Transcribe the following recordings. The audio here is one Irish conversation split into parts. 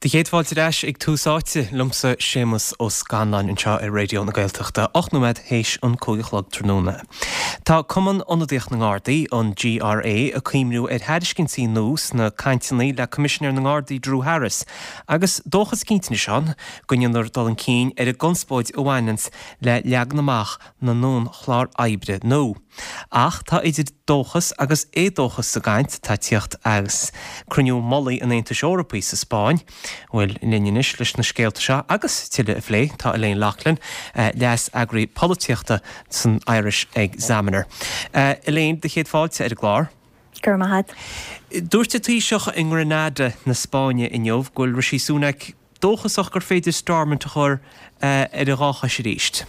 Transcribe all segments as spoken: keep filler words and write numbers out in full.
Do chéad fáilte ar ais ag Tús Áite liomsa Séamus Ó Scanláin anseo ar Raidió na Gaeltachta ocht nóiméad théis an cúig a chlog tráthnóna. Tá Cumann Ionadaíoch na nGardaí an GRA ag cuimhniú ar thairiscintí nua sna cainteanna le Coimisinéir na nGardaí Drew Harris agus dóchas cinnte anois ann go ndéanfar dul chun cinn ar an gconspóid a bhaineanns le leagan amach na n-clár oibre nua. Ach tá idir dóchas agus éadóchas sa gcaint atá ag tíocht as cruinniú mullaigh an Aontais Eorpaigh sa Spáinn, Bhuel linn anois leis na scéalta seo agus tuilleadh a phlé tá Elaine Loughlin, leas-eagraí polaitíochta san Irish Examiner. Uh, Elaine do chéad fáilte ar an gclár. Gur maith. Dúirt an Taoiseach i nGranada na Spáinne inniu go bhfuil Rishi Sunak dóchasach gur féidir Stormont a chur uh, ar a dhá chois arís.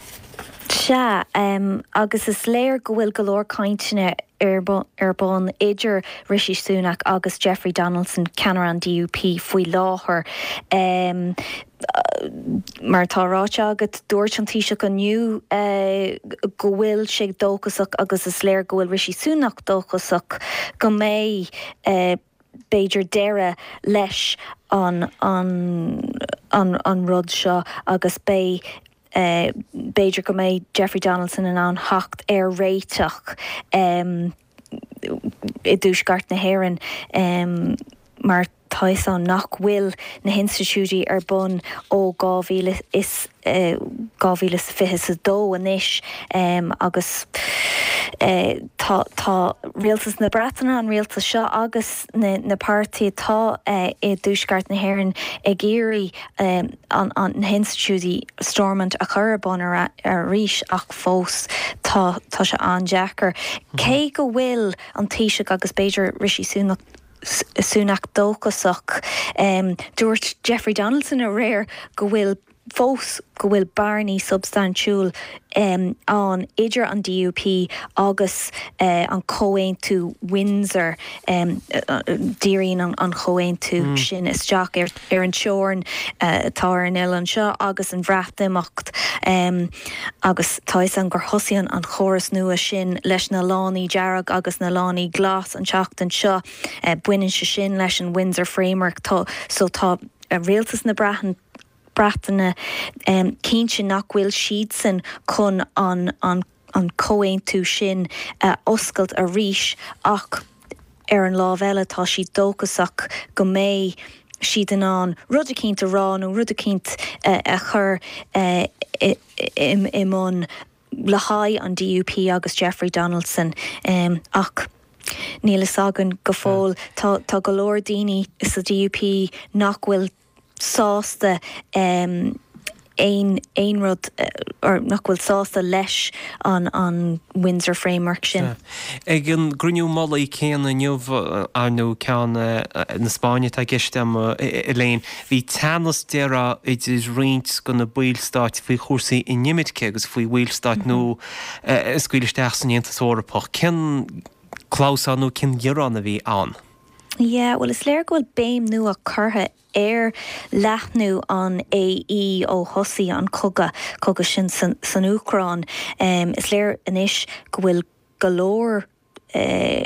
Sea um, agus is léir go bhfuil go leor cainteanna ar ar bun idir Rishi Sunak agus Jeffrey Donaldson ceannaire an DUP faoi láthair. Um, mar tá ráite agat dúirt an Taoiseach inniu uh, go bhfuil sé dóchasach agus is léir go bhfuil Rishi Sunak dóchasach go mbeidh uh, b'fhéidir deireadh leis an, an, an, an rud seo agus beidh uh, b'fhéidir go mbeidh Jeffrey Donaldson in ann theacht ar réiteach um, i dTuaisceart na hÉireann um, mar tá an nach bhfuil na hinstitiúidí ar bun ó dhá mhíle is dhá mhíle fiche a dó anois um, agus uh, tá tá rialtas na Breataine an rialtas seo agus na, na páirtithe atá uh, i dTuaisceart na hÉireann ag iarraidh um, an, an na hinstitiúidí Stormont a chur ar bun arís ach fós tá tá sé an-deacair. Cé go bhfuil an Taoiseach agus b'fhéidir Rishi Sunak Sunak dóchasach um, dúirt Jeffrey Donaldson aréir go bhfuil fós go bhfuil bearnaí substaintiúil um, an idir an DUP agus uh, an comhaontú Windsor um, uh, díríonn an, an comhaontú mm. sin isteach ar, ar an teorainn uh, atá ar an oileán seo agus an Bhreatimeacht um, agus tá an gur thosaigh an chóras nua sin leis na lánaí dearg agus na lánaí glas an tseachtain seo uh, baineann sé sin leis an Windsor Framework tá, so tá uh, rialtas na Breataine Breataine um, cinnte nach bhfuil siadsan chun an, an, an comhaontú sin uh, oscailt arís ach ar an lámh eile tá siad dóchasach go mbeidh siad in ann rud éicint a rá nó rud éicint uh, a chur uh, i, i, i mbun le haghaidh an DUP agus Jeffrey Donaldson um, ach níl a fhios againn go fóill tá tá go leor daoine sa DUP nach bhfuil sásta um, aon aon rud uh, nach bhfuil sásta leis an an Windsor Framework sin. Ag an gcruinniú mullaigh céanna inniu ar nó ceann na Spáinne tá gceist Elaine, bhí teannas déarfá idir roinnt de na ballstáit faoi chúrsaí inimirce agus faoi bhallstáit nua a scaoileadh isteach san Aontas Eorpach. Cén clamhsán nó cén gearán a bhí ann. Yeah, well is léir go bhfuil béim nua curtha ar leathnú an AE ó thosaigh an cogadh cogadh sin san, san Úcráin. Um, is léir anois go bhfuil go leor uh,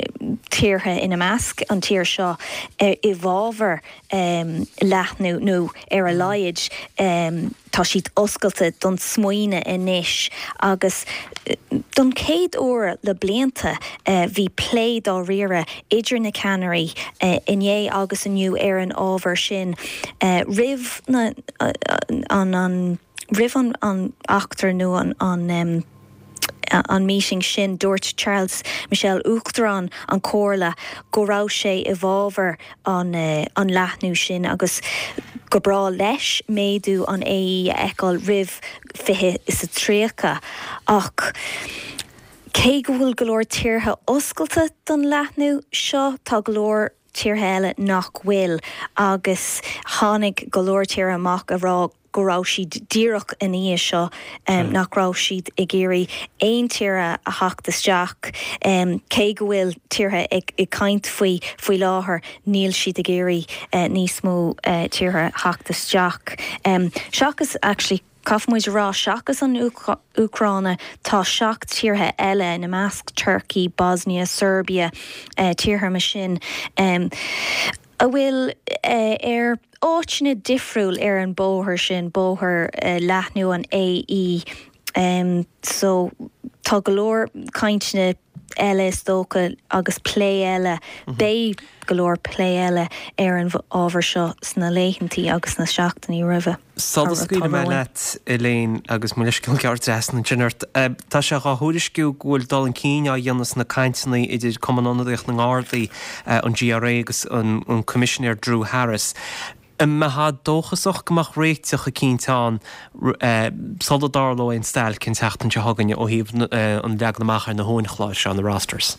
tíortha ina measc an tír seo uh, i bhfabhar um, leathnú nó ar a laghad um, tá siad oscailte don smaoineamh anois agus don chéad uair le blianta uh, bhí plé dáiríre idir na ceannairí uh, inné agus inniu ar an ábhar sin uh, roimh na, uh, an, an roimh an, an eachtra nó an, an um, an meeting sin dúirt Charles Michel Uachtarán an Chomhairle go raibh sé i bhfabhar an, uh, an leathnú sin agus go breá leis méadú an AE a fheiceáil roimh fiche is a tríocha ach cé go bhfuil go leor tíortha oscailte don leathnú seo tá go leor tíortha eile nach bhfuil agus tháinig go leor tíortha amach a rá go raibh siad díreach in aghaidh seo um, nach raibh siad ag iarraidh aon tír a theacht isteach um, cé go bhfuil tíortha ag, ag caint faoi faoi láthair níl siad ag iarraidh uh, níos mó uh, tíortha theacht isteach. Um, seachas actually Caithfidh muid rá seachas an Úcráin tá seacht tíortha eile ina measc Turkey, Bosnia, Serbia, uh, tíortha mar sin. Um, a bhfuil ar áiteanna difriúil ar an bóthar sin, bóthar leathnú an AE. So tá go leor cainteanna eile is dócha agus plé eile, beidh go leor plé eile ar an ábhar seo sna laethantaí agus sna seachtainí roimhe. Sula scaoilfidh mé leat, Elaine, agus mo leithscéal gearr trasna ansin ort, tá sé dhá thuairisciú go bhfuil dul chun cinn á dhéanamh sna cainteanna idir Cumann Ionadaíoch na nGardaí, an GRA agus an Coimisinéir Drew Harris. An mbeifeá dóchasach go mbeadh réiteach eicínt ann sula dtarlóidh an stailc an tseachtain seo chugainn ó thaobh an leagan amach ar na huainchlár seo, na rosters?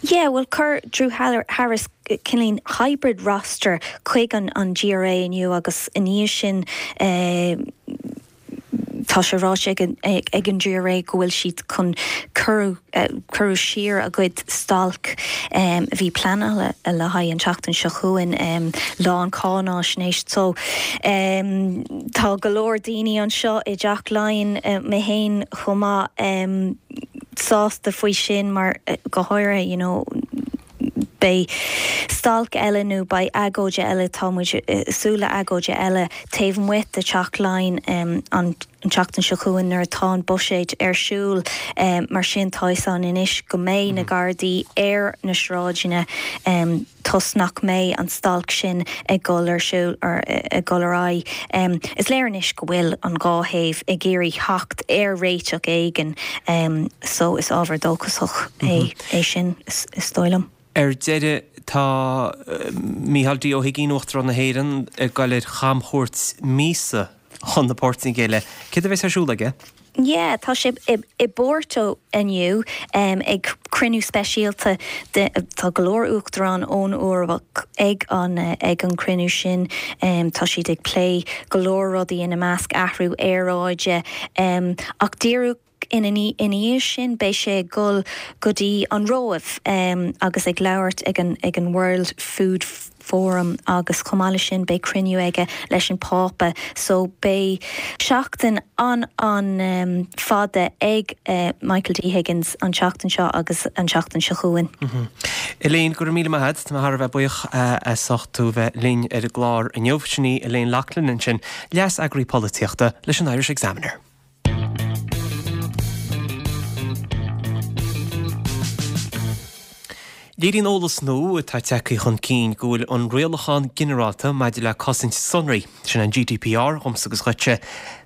Yeah, bhuel chuir Drew Harris cineál hybrid roster chuig an GRA inniu agus i ndiaidh sin tá sé ráite ag an GRA go bhfuil siad chun cuireadh siar a gcuid stailc a bhí pleanáilte le haghaidh an tseachtain seo chugainn, lá an cháináisnéis. So tá go leor daoine anseo i dTeach Laighean, mé féin chomh maith, sásta faoi sin mar go háirithe you know beidh stailc eile nó beidh agóid eile, tá muid ag súil le agóid eile taobh amuigh de Theach Laighean an tseachtain seo chugainn nuair atá an buiséad ar siúl. Mar sin tá fhios againn anois go mbeidh na Gardaí ar na sráideanna toisc nach mbeidh an stailc sin ag dul ar siúl or ag dul ar aghaidh. Is léir anois go bhfuil an dhá thaobh ag iarraidh theacht ar réiteach éigin so is ábhar dóchasach é é sin is dóigh liom. Ar deireadh, tá Micheál D. Ó hUigínn, Uachtarán na hÉireann, ag dul ar chamchuairt míosa chun na Portaingéile. Céard a bheas ar siúl aige? Yeah, tá sé i bPorto inniu ag cruinniú speisialta de, tá go leor uachtarán ón Eoraip ag an ag an cruinniú sin. Tá siad ag plé go leor rudaí ina measc athrú aeráide ach díreach Ina dhiaidh sin beidh sé ag dul go dtí an Róimh agus ag labhairt ag an ag an World Food Forum agus chomh maith leis sin beidh cruinniú aige leis an Phápa so beidh seachtain an an fada ag Michael D Higgins an tseachtain seo agus an tseachtain seo chugainn. Elaine, go raibh míle maith agat. Tá mé thar a bheith buíoch as ucht tú bheith linn ar an gclár inniu. Sin í Elaine Loughlin ansin, Leas-Eagraí Polaitíochta leis an Irish Examiner. Léiríonn eolas nua atá tagtha chun cinn go bhfuil an Rialachán Ginearálta maidir le Cosaint Sonraí, sin an GDPR dhomsa agus dhuitse,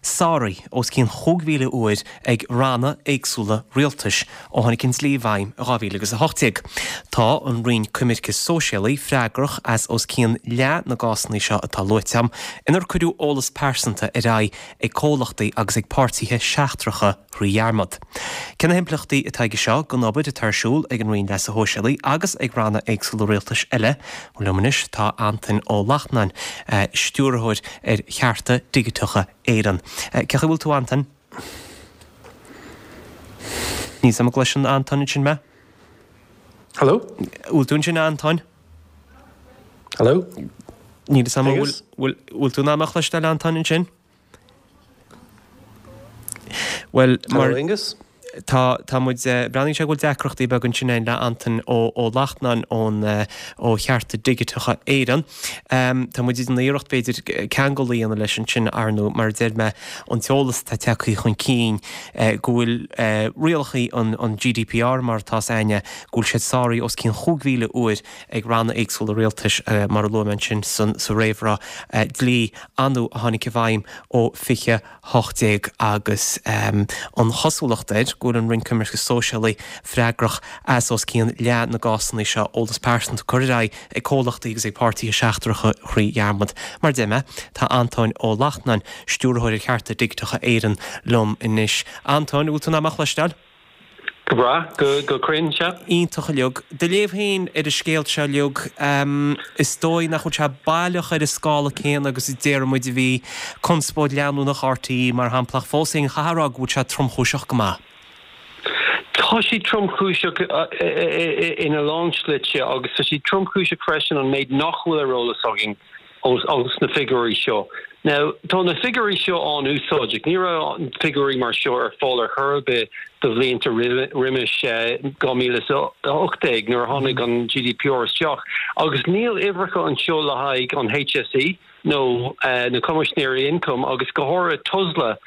sáraithe os cionn chúig mhíle uair ag ranna éagsúla rialtais ó tháinig an dlí i bhfeidhm i dhá mhíle agus a hocht déag. Tá an Roinn Coimirce Sóisialaí freagrach as os cionn leath na gcásanna seo atá luaite agam, inar cuireadh eolas pearsanta ar aghaidh ag comhlachtaí agus ag páirtithe seachtracha thrí dhearmad. Cé na himpleachtaí atá aige seo don obair atá ar siúl ag an Roinn Leasa Shóisialaigh agus ag ranna éagsúla rialtais eile? Bhuel, liom anois tá Antain Ó Lachtnáin, Stiúrthóir ar Chearta Digiteacha Éireann. Cén chaoi a bhfuil tú, Antain? Níl 's a'm an gcloiseann Antain ansin mé? Hello? Bhfuil tú ansin, a Antain? Hello? Níl 'fhios a'm an bhfuil bhfuil tú in ann mé a chloisteáil, a Antain, ansin? Bhuel, mar. Hello, Aengus? Tá, tá muid, breathnaíonn sé go bhfuil deacrachtaí beaga ansin againn le Antain Ó, Ó Lachtnáin ón, ó Chearta Digiteacha Éireann. Tá muid ag déanamh iarracht b'fhéidir ceangal a dhéanamh leis ansin, ar ndóigh, mar a deir mé, an t-eolas atá tagtha chun cinn go bhfuil rialacha an, an GDPR mar atá 's againne, go bhfuil siad sáraithe os cionn chúig mhíle uair ag ranna éagsúla rialtais, mar a luaigh mé ansin san, sa réamhrá, dlí nua a tháinig i bhfeidhm ó fiche hocht déag agus an chosúlacht air go bhfuil an Roinn Coimirce Sóisialaí freagrach as os cionn leath na gcásanna seo eolas pearsanta curtha ar aghaidh ag comhlachtaí agus ag páirtithe seachtracha thrí dhearmad. Mar a deir mé, tá Antóin Ó Lachtnáin, Stiúrthóir ar Chearta Digiteacha Éireann liom anois. Antóin, an bhfuil tú in ann mé a chloisteáil? Go breá, go cruinn, sea. Iontach uilig. Do léamh féin ar an scéal seo uilig, is dóigh nach bhfuil sé baileach ar an scála céanna agus a déarfaidh muid a bhí conspóid leanúnach RTÉ mar shampla ach fós féin chaithfeá a rá go bhfuil sé tromchúiseach go maith. Tá sé tromchúiseach ina lán slite agus tá sé tromchúiseach freisin an méid nach bhfuil ar eolas againn Ó sna figiúirí seo. Now, tá na figiúirí seo an-úsáideach, ní raibh figiúirí mar seo ar fáil ar chor ar bith do bhlianta roimis dhá mhíle is a hocht déag nuair a tháinig an G D P R isteach, agus níl uimhreacha anseo le haghaidh an H S E nó na Coimisinéirí Ioncaim agus go háirithe Tusla,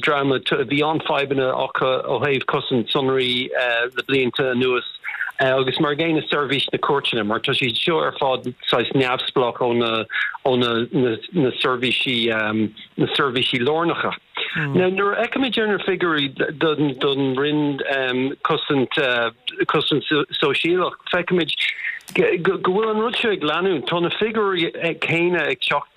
dream a bhí an-fhadhbanna acu ó thaobh cosaint sonraí le blianta anuas. Agus mar gcéanna seirbhís na cúirteanna, mar tá siad seo ar fad saghas neamhspleách ó na ó na na na seirbhísí na seirbhísí lárnacha. Now, nuair a fheicimid ar na figiúirí don don Roinn cosaint cosaint sóisialach, feicimid go bhfuil an rud seo ag leanúint. Tá na figiúirí céanna ag teacht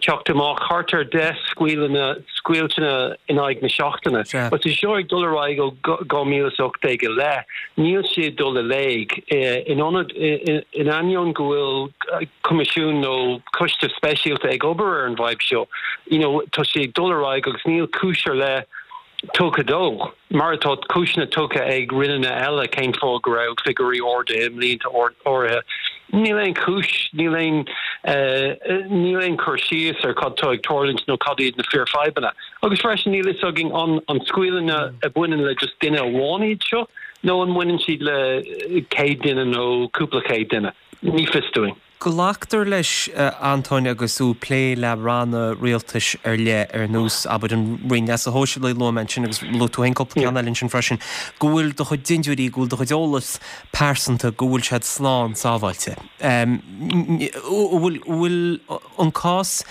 teacht amach, thart ar deich scaoileanna scaoilteanna in aghaidh na seachtaine. Agus é seo ag dul ar aghaidh ó dhá mhíle is ocht déag i leith, níl sé ag dul i léig. In ionad in ainneoin go bhfuil coimisiún nó coiste speisialta ag obair ar an bhfadhb seo, you know, tá sé ag dul ar aghaidh agus níl cúis ar leith tugtha dó, mar atá cúiseanna tugtha ag roinneanna eile cén fáth go raibh figiúirí arda i mblianta áirithe. Níl aon chúis, níl aon níl aon cur síos ar cad tá ag tarlúint nó cad iad na fíorfhadhbanna. Agus freisin níl fhios againn an an scaoileanna a bhaineann le just duine amháin iad seo nó an mbaineann siad le céad duine nó cúpla céad duine. Ní fios dúinn. Glactar leis, Antóin, agus tú ag plé le ranna rialtais ar leith ar nós, abair, an Roinn Leasa Shóisialaigh a luaigh mé ansin agus luaigh tú féin cúpla ceann eile ansin freisin, go bhfuil do chuid dintiúirí, go bhfuil do chuid eolas pearsanta, go bhfuil siad slán sábháilte. An bhfuil bhfuil an cás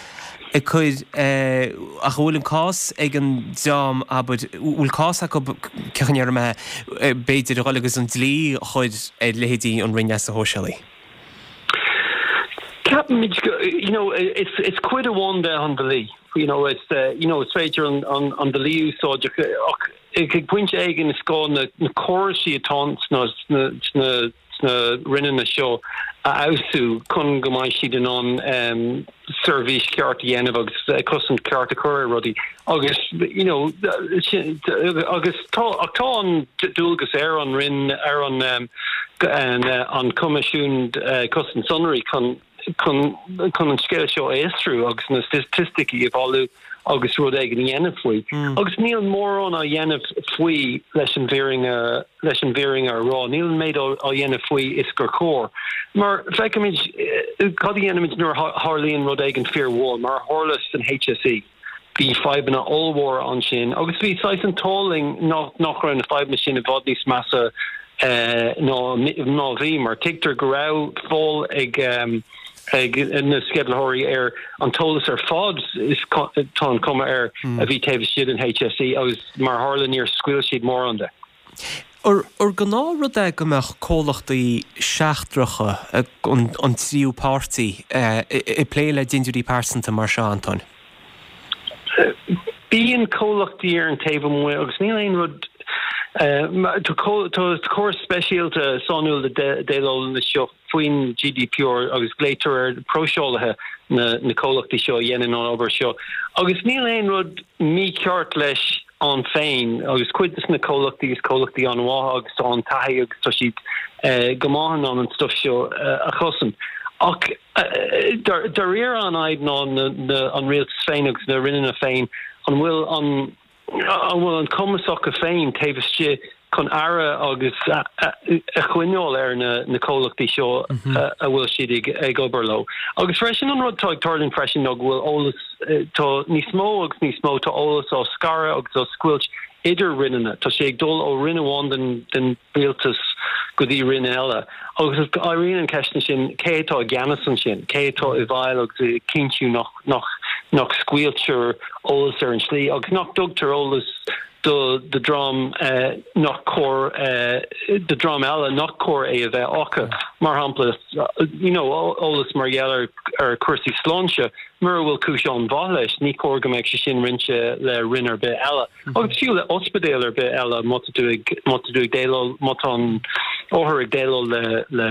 ag cur, ach an bhfuil an cás ag an dream, abair, bhfuil cás acu, cén chaoi a ndéarfaidh mé, b'fhéidir a dhul agus an dlí a chur ar leithéidí an Roinn Leasa Shóisialaigh? Ceapaimid you know, is is cuid amháin de an dlí. You know, is uh, you know, is féidir an, an, an dlí úsáid ach ag pointe éigin is gá na, na córais atá sna, sna, sna, sna roinneanna seo a fheabhsú chun go mbeidh siad in ann um, seirbhís ceart a dhéanamh agus uh, cosaint ceart a chur ar rudaí agus you know, agus tá ach tá an dualgas ar an Roinn ar an um, an, uh, an Coimisiún uh, Cosaint Sonraí chun chun chun an scéal seo a fhiosrú agus na staitisticí a bhailiú agus rud éigin a dhéanamh faoi. Mm. Agus níl mórán á dhéanamh faoi leis an bhfírinne leis an bhfírinne a rá, níl an méid á dhéanamh faoi is gur chóir. Mar feicimid cad a dhéanaimid nuair a tharlaíonn rud éigin fíormhór, mar a tharla san H S E. Bhí fadhbanna ollmhóra ansin, agus bhí saghas an t-ádh linn nach nach raibh na fadhbanna sin i bhfad níos measa uh, ná ná bhí, mar tuigtear go raibh fáil ag um, ag na sceimhlitheoirí ar an t-eolas ar fad is tá an cuma air mm. a bhí taobh istigh den H S E agus mar tharla níor scaoil siad mórán de. Ar ar gnáthrud é go mbeadh comhlachtaí seachtracha an, an tríú páirtí ag plé le dintiúirí pearsanta mar seo, Antóin? Bíonn comhlachtaí ar an taobh amuigh agus níl aon rud Tá córas speisialta sainiúil le déileáil leis seo faoin G D P R agus glaotar ar próiseálaithe na, na comhlachtaí seo a dhéanann an obair seo. Agus níl aon rud mícheart leis ann féin agus cuid de na comhlachtaí is comhlachtaí an-mhaith agus tá an taithí agus tá siad uh, go maith in ann an stuff seo uh, a chosaint. Ach uh, dáiríre an fhadhb ná an rialtas féin agus na roinneanna féin an bhfuil an an bhfuil an cumas acu féin taobh istigh chun aire agus a choinneáil ar na, na comhlachtaí seo mm -hmm. a bhfuil siad ag, ag obair leo. Agus freisin an rud tá ag tarlú freisin ná go bhfuil eolas tá níos mó agus níos mó tá eolas á scaradh agus á scoilt idir roinneanna. Tá sé ag dul ó roinn amháin den, den rialtas go dtí roinn eile. Agus éiríonn an ceist sin cé tá i gceannas ansin, cé tá i bhfeighil agus cinntiú nach, nach, nach scaoiltear eolas ar an slí agus nach dtugtar eolas do do dream uh, nach cóir uh, do dream eile nach cóir é a bheith acu mar shampla you know eolas mar gheall ar ar cúrsaí sláinte mura bhfuil cúis an-mhaith leis ní cóir go mbeadh sé sin roinnte le roinn ar bith eile mm -hmm. agus fiú le ospidéal ar bith eile má tá tú ag má tá tú ag déileáil má tá an othar ag déileáil le le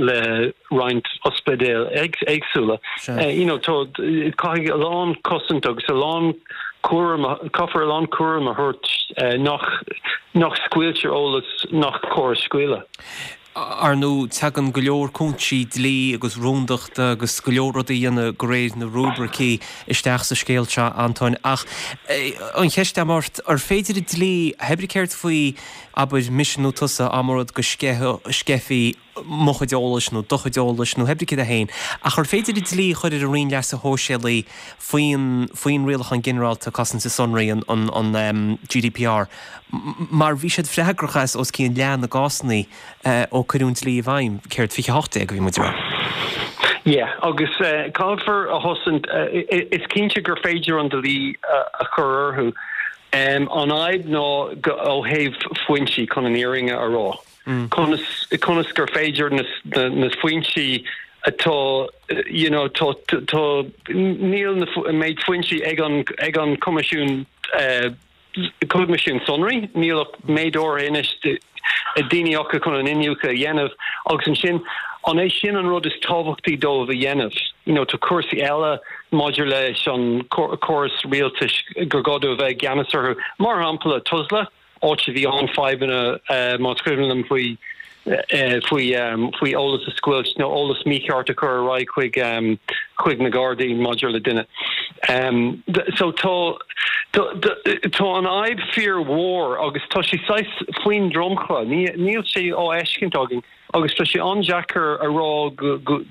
le roinnt ospidéal éagsúla uh, you know tá caithfidh a lán cosaint agus a lán cúram caithfear a lán cúram a thabhairt uh, nach nach scaoiltear eolas nach cóir scaoileadh. Ar ndóigh, tagann go leor cúinsí dlí agus rúndachta agus go leor rudaí a dhéanamh de réir na rúibricí isteach sa scéal seo, Antóin, ach an cheist agam ort, ar féidir an dlí, hé brí céard faoi, abair, mise nó tusa, dá mba rud go sceithfí mo chuid eolais nó do chuid eolais nó hé brí céard é féin, ach ar féidir an dlí a chur ar an Roinn Leasa Shóisialaigh faoin faoin Rialachán Ginearálta Cosanta Sonraí, an an GDPR, mar bhí siad freagrach as os cionn leath na gcásanna ó cuireadh an dlí i bhfeidhm, céard, fiche a hocht déag a bhí muid a rá? Yeah, agus caithfear a chosaint, is cinnte gur féidir an dlí a chur orthu. An fhadhb ná ó thaobh foinsí chun an fhírinne a rá. Conas conas gur féidir na na foinsí atá you know tá tá níl na méid foinsí ag an ag an Coimisiún Coimisiún Sonraí, níl ach méid áirithe anois daoine acu chun an iniúchadh a dhéanamh agus ansin an é sin an rud is tábhachtaí dóibh a dhéanamh? You know tá cúrsaí eile maidir leis an córas rialtais gur gá dóibh a bheith i gceannas orthu. Mar shampla Tusla, áit a bhí an-fhadhbanna más cuimhin liom faoi faoi faoi eolas a scoilt nó eolas mícheart a chur ar aghaidh chuig chuig na Gardaí maidir le duine. So tá tá an fhadhb fíormhór agus tá sé saghas faoin dromchla, níl sé á fheiscint againn agus tá sé an-deacair a rá go go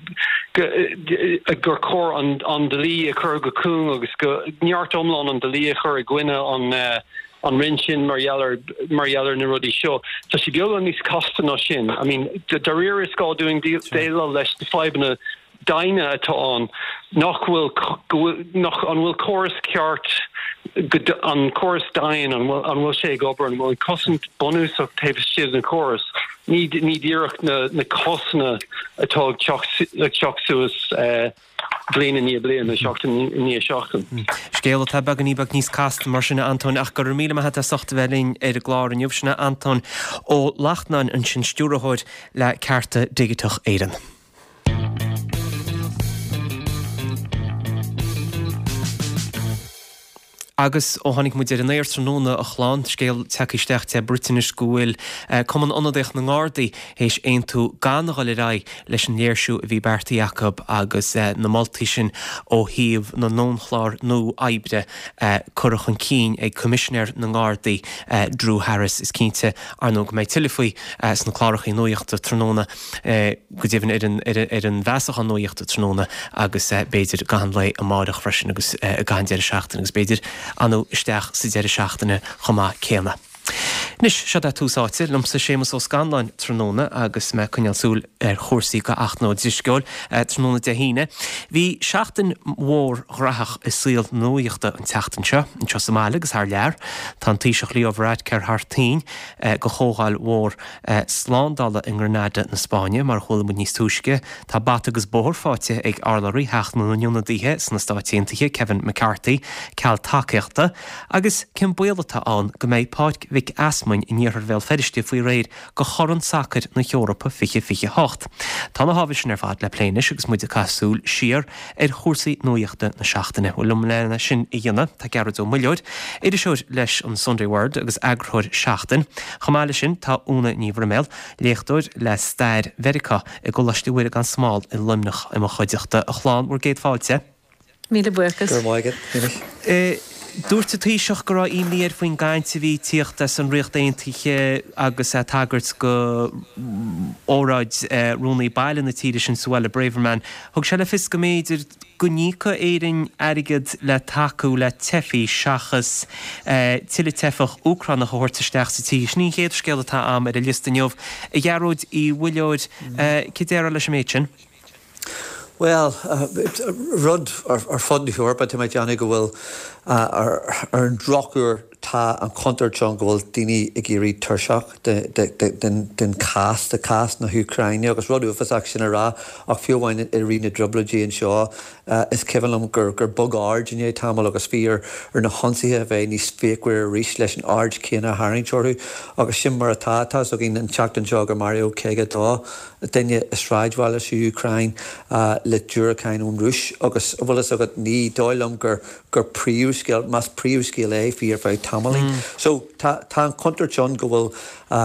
gur chóir an an dlí a chur go cúng agus go neart iomlán an dlí a chur i gcoinne an an roinn sin mar gheall ar mar gheall ar na rudaí seo. Tá sé beagán níos casta ná sin. I mean, dáiríre is gá dúinn déileáil leis na fadhbanna daonna atá ann, nach bhfuil nach an bhfuil córas ceart an córas daon an bhfuil an bhfuil sé ag obair, an bhfuil an cosaint bunúsach taobh istigh den chóras, ní ní díreach na na cásanna atá ag teacht ag teacht suas bliain i ndiaidh bliana, seachtain i ndiaidh seachtain. Scéal atá beagáinín beag níos casta mar sin, a Antóin, ach go raibh míle maith agat as ucht a bheith linn ar an gclár inniu. Sin é Antóin Ó Lachtnáin ansin, Stiúrthóir le Cearta Digiteach Éireann. Agus ó tháinig muid ar an aer tráthnóna, a chlann, scéal tagtha isteach de Briotáinis go bhfuil Cumann Ionadaíoch na nGardaí théis aontú gan a dhul ar aghaidh leis an léirsiú a bhí beartaithe acu agus na moltaí sin ó thaobh na ndonnchlár nua oibre curtha chun cinn ag Coimisinéir na nGardaí Drew Harris. Is cinnte, ar ndóigh, go mbeidh tuilleadh faoi sna cláracha nuachta tráthnóna. go deimhin ar an ar an bhfeasachán nuachta tráthnóna agus b'fhéidir i gcaitheamh an lae amáireach freisin agus i gcaitheamh an deireadh seachtaine agus b'fhéidir anú isteach sa deireadh seachtaine chomh maith céanna. Anois, seo é Tús Áite, liomsa Séamus Ó Scanláin tráthnóna agus mé ag coinneáil súil ar chúrsaí go Eachna Ó Drisceoil tráthnóna Dé hAoine. Bhí seachtain mhór ghraitheach i saol na nuachta an tseachtain seo, anseo sa mbaile agus thar lear. Tá an Taoiseach Leo Varadkar thar toinn go chomhdháil mhór slándála i nGranada na Spáinne, mar a chuala muid níos túisce. Tá bata agus bóthar faighte ag urlabhraí Theach na nIonadaithe sna Stáit Aontaithe, Kevin McCarthy, ceal tacaíochta, agus cén baol atá ann go mbeidh Páirc Mhic Easmainn in iarthar Bhéal Feirste faoi réir go Chorn Sacair na hEorpa fiche fiche hocht. Tá na hábhair sin ar fad le plé anois agus muid ag caitheamh súil siar ar chúrsaí nuachta na seachtaine. Bhuel, liom lena sin a dhéanamh, tá Gearóid Ó Muilleoir, iriseoir leis an Sunday World agus eagarthóir Seachtain. Chomh maith leis sin, tá Úna Ní Bhroiméil, léachtóir le stair Mheiriceá i gColáiste Mhuire gan Smál i Luimneach i mo chuideachta. A chlann, bhur gcéad fáilte. Míle buíochas. Go raibh maith agat, a Shéamais. Dúirt an Taoiseach go raibh imní air faoin gcaint a bhí ag tíocht as an Ríocht Aontaithe agus é ag tagairt go óráid Rúnaí Baile na tíre sin, Suella Braverman. Thug sé le fios go mb'fhéidir go n-íocfadh Éirinn airgead le tacú le teifigh seachas tuilleadh teifeach Úcránach a thabhairt isteach sa tír. Sin í an chéad scéal atá a'm ar an liosta inniu. A Ghearóid Uí Mhuilleoir, cad déarfá leis an méid sin? Bhuel, rud ar fud na hEorpa, tá mé ag déanamh go bhfuil, ar an drochuair, tá an chontúirt ann go bhfuil daoine ag éirí tuirseach den chás, de chás na hÚcráine agus rud uafásach sin a rá ach fiú amháin i rith na dtrioblóidí anseo is cuimhin liom gur bhog aird i ndiaidh tamaill agus bhí ar na hionsaithe a bheith níos fíochmhaire arís leis an aird chéanna a tharraingt orthu agus sin mar atá. Tá's againn an tseachtain seo gur maraíodh caoga a dó duine i sráidbhaile sa Úcráin le diúracáin ón Rúis agus, bhfuil fhios agat, ní dóigh liom gur gur príomhscéal, más príomhscéal é, bhí ar feadh tamaill. tamaillín. So tá tá an chontúirt ann go bhfuil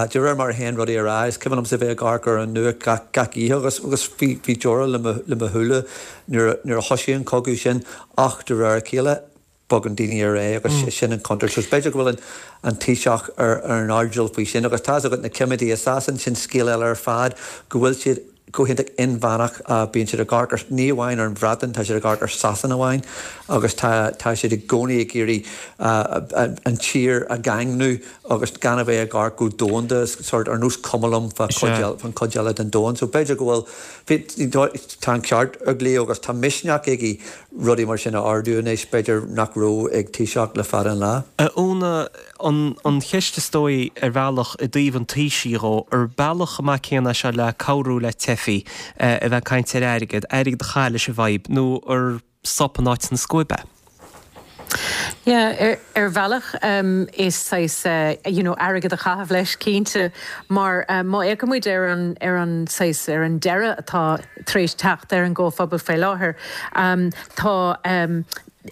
de réir mar a théann rudaí ar aghaidh, is cuimhin liomsa bheith ag amharc ar an nuacht gach gach oíche agus agus bhí bhí deora le mo le mo shúile nuair a nuair a thosaigh an cogadh sin ach de réir a chéile bogann daoine ar aghaidh agus sin an chontúirt. So b'fhéidir go bhfuil an an Taoiseach ar ar an airdeall faoi sin agus tá's agat na coimeádaí i Sasain, sin scéal eile ar fad, go bhfuil siad go hiontach inmheánach, bíonn siad ag amharc ar, ní amháin ar an Bhreatain, tá siad ag amharc ar Sasana amháin agus tá tá siad i gcónaí ag iarraidh an tír a dhaingniú agus gan a bheith ag amharc go domhanda, sort ar nós cuma liom fá chuid eile, fán chuid eile den domhan. So b'fhéidir go bhfuil, tá an ceart ag Leo agus tá misneach aige rudaí mar sin a ardú anois, b'fhéidir nach raibh ag Taoiseach le fada an lá. A Úna, an cheist is dóigh ar bhealach i dtaobh an Taoisigh dhó, ar bealach chomh maith céanna é seo le cabhrú le teifigh, a bheith ag caint ar airgead, airgead a chaitheamh leis an bhfadhb, nó ar sop in áit na scuaibe? Yeah, ar, ar bhealach um, is saghas uh, you know, airgead a chaitheamh leis cinnte mar um, má fhéachann muid ar an ar an saghas ar an deireadh atá tar éis teacht ar an gcomhphobal faoi láthair um, tá um,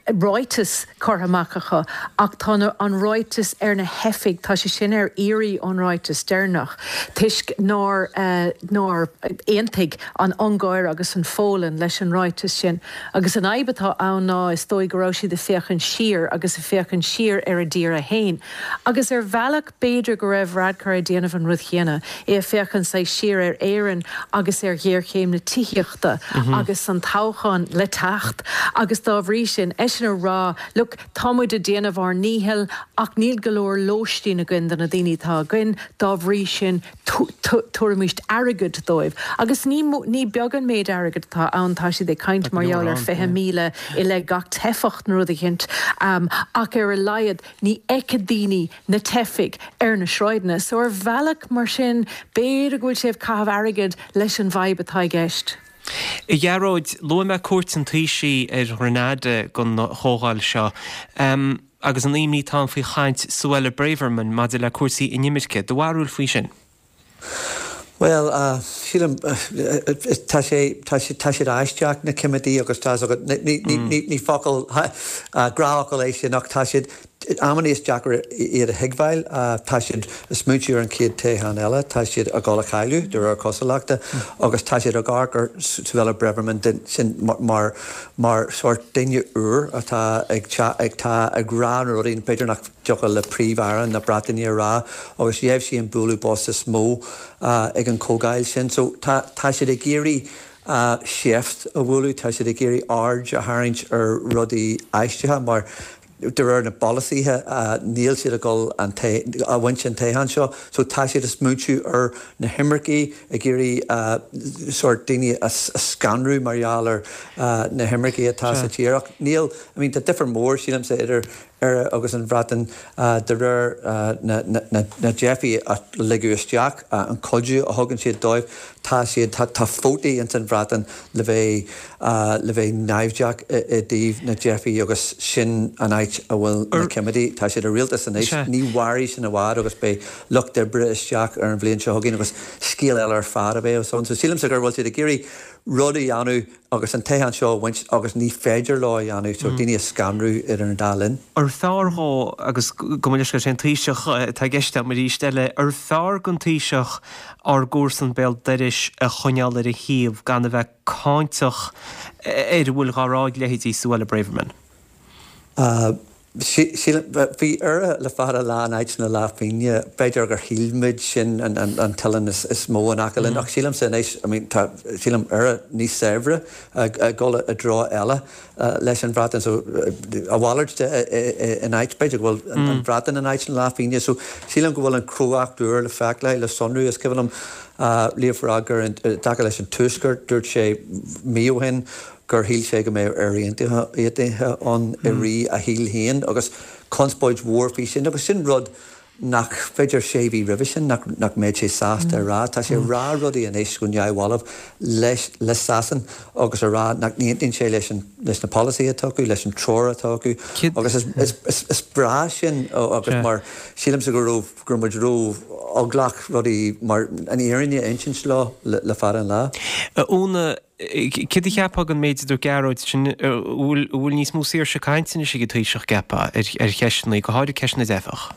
ráiteas curtha amach acu ach tá an ráiteas ar na theifigh tá sé sin ar iarraidh ón ráiteas deireanach toisc nár uh, nár aontaigh an Ungáir agus an Pholainn leis an ráiteas sin. Agus an fhadhb atá ann ná is dóigh go raibh siad ag féachaint siar agus ag féachaint siar ar a dtír féin. Agus ar bhealach b'fhéidir go raibh Varadkar ag déanamh an rud chéanna, é ag féachaint saghas siar ar Éirinn agus ar ghéarchéim na tithíochta mm -hmm. agus an toghchán le teacht agus dá bhrí sin eisean ag rá look tá muid ag déanamh ár ndícheall ach níl go leor lóistín againn do na daoine atá againn dá bhrí sin tabharfaimid airgead dóibh. Agus ní ní beag an méid airgead atá ann tá siad ag caint mar gheall ar fiche míle i leith gach teifeach nó rud éicint um, ach ar a laghad ní fheicfidh daoine na teifigh ar na sráideanna, so ar bhealach mar sin b'fhéidir go bhfuil sé ag caitheamh airgead leis an bhfadhb atá i gceist. A Ghearóid, luaigh mé cuairt an Taoisigh ar Ghrenada don chomhdháil seo. Um, agus an imní atá ann faoi chaint Suella Braverman maidir le cúrsaí inimirce, do bharúil faoi sin? Well, uh, sílim tá sé tá sé tá siad aisteach na coimeádaí agus tá ní ní ní focal gnáthfhocal é sin ach tá siad amannaí is deacair iad a thuigbheáil, tá siad ag smaointiú ar an chéad toghchán eile, tá siad ag dul a chailleadh de réir cosúlachta agus tá siad ag amharc ar Suella Braverman sin mar mar sórt duine úr atá ag ag tá ag rá na rudaí b'fhéidir nach dtiocfadh le Príomh-Aire na Breataine a rá agus gheibh sí an bualadh bos is mó ag an chomhdháil sin. So tá tá siad ag iarraidh seift a bhualadh, tá siad ag iarraidh aird a tharraingt ar rudaí aisteacha mar de réir na bpolasaithe níl siad ag dul an a bhaint an toghchán seo, so tá siad ag smaointiú ar na himircigh ag iarraidh sórt daoine a scanrú mar gheall ar na himircigh atá sa tír. Ach níl, I mean tá difear mór sílimse idir Éire agus an Bhreatain de réir na dteifigh a ligeadh isteach, an cuidiú a thugann siad dóibh, tá siad, tá vótaí ins an Bhreatain le bheith le bheith naimhdeach i dtaobh na dteifigh agus sin an áit a bhfuil na coimeádaí. Tá siad i rialtas anois, ní mhairfidh sin i bhfad agus beidh lucht oibre isteach ar an bhliain seo chugainn agus scéal eile ar fad a bheidh ann. So sílimse gur bhfuil siad ag iarraidh rud a dhéanamh agus an toghchán seo a bhaint agus ní féidir leo a dhéanamh, so daoine a scanrú idir an dá linn. Ar fearr dhó, agus gabh mo leithscéal, sé an Taoiseach atá i gceist agam arís eile, ar fearr don Taoiseach ár gcomharsan béal dorais a choinneáil ar a thaobh gan a bheith cáinteach ar a bhfuil dhá rá ag leithéidí Suella Braverman? Sílim, bhí Éire le fada an lá in áit na leathphingine, b'fhéidir gur shíl muid sin an t-oileán is mó in aice linn, ach sílimse anois, I mean, tá, sílim, Éire níos saibhre ag dul i dtreo eile leis an Bhreatain, so a mhalairt de in áit, b'fhéidir go bhfuil an Bhreatain in áit na leathphingine, so sílim go bhfuil an chrógacht úr le feiceáil, le sonrú. Is cuimhin liom Leo Varadkar i dtaca leis an Tuaisceart, dúirt sé mí ó shin, gur shíl sé go mbeadh Éire Aontaithe ann i rith a shaoil féin agus conspóid mhór faoi sin agus sin rud nach, b'fhéidir sé mhí roimhe sin, nach mbeadh sé sásta a rá. Tá sé ag rá rudaí anois go neamhbhalbh leis, le Sasain agus a rá nach n-aontaíonn sé leis an, leis na polasaithe atá acu, leis an treoir atá acu agus is, is, is, is breá sin agus mar sílimse go raibh, go raibh muid ró-eaglach rudaí mar an fhírinne a insint leo le, le fada an lá. A Úna, Céard a cheapfá den méid a dúirt Gearóid sin, an bhfuil níos mó saoirse cainte anois ag an Taoiseach, ceapfá, ar cheisteanna, go háirid ceist na dteifeach?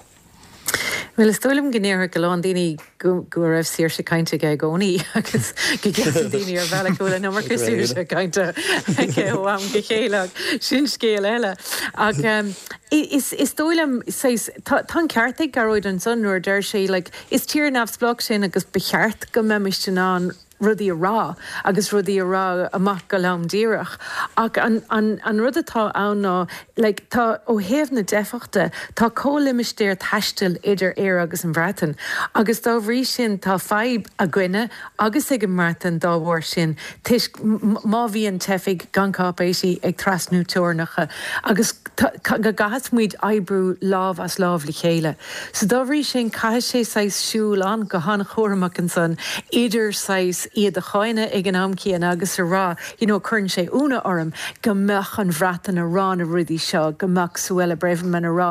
Bhuel, is dóigh liom go ndéarfadh a lán daoine go go raibh saoirse cainte aige i gcónaí agus go gceapann daoine ar bhealach go bhfuil an iomarca saoirse cainte aige ó am go chéile ach sin scéal eile. Ach is is dóigh liom saghas tá tá an ceart ag Gearóid ansan nuair a deir sé like is tír neamhspleách sinn agus ba cheart go mbeimis in ann rudaí a rá agus rudaí a rá amach go lom díreach. Ach an, an, an rud atá ann ná, like, tá, ó thaobh na dteifeach de, tá comhlimistéar taistil idir Éire agus an Bhreatain agus dá bhrí sin tá fadhb againne agus ag an mBreatain dá bharr sin toisc má bhíonn teifigh gan cáipéisí ag trasnú teorainneacha agus go gcaithfidh muid oibriú lámh as lámh le chéile. So dá bhrí sin caithfidh sé saghas siúl an go han-chúramach ansan idir saghas iad a cháineadh ag an am céanna agus a rá you know cuireann sé ionadh orm go mbeadh an Bhreatain a rá na rudaí seo, go mbeadh Suella Braverman a rá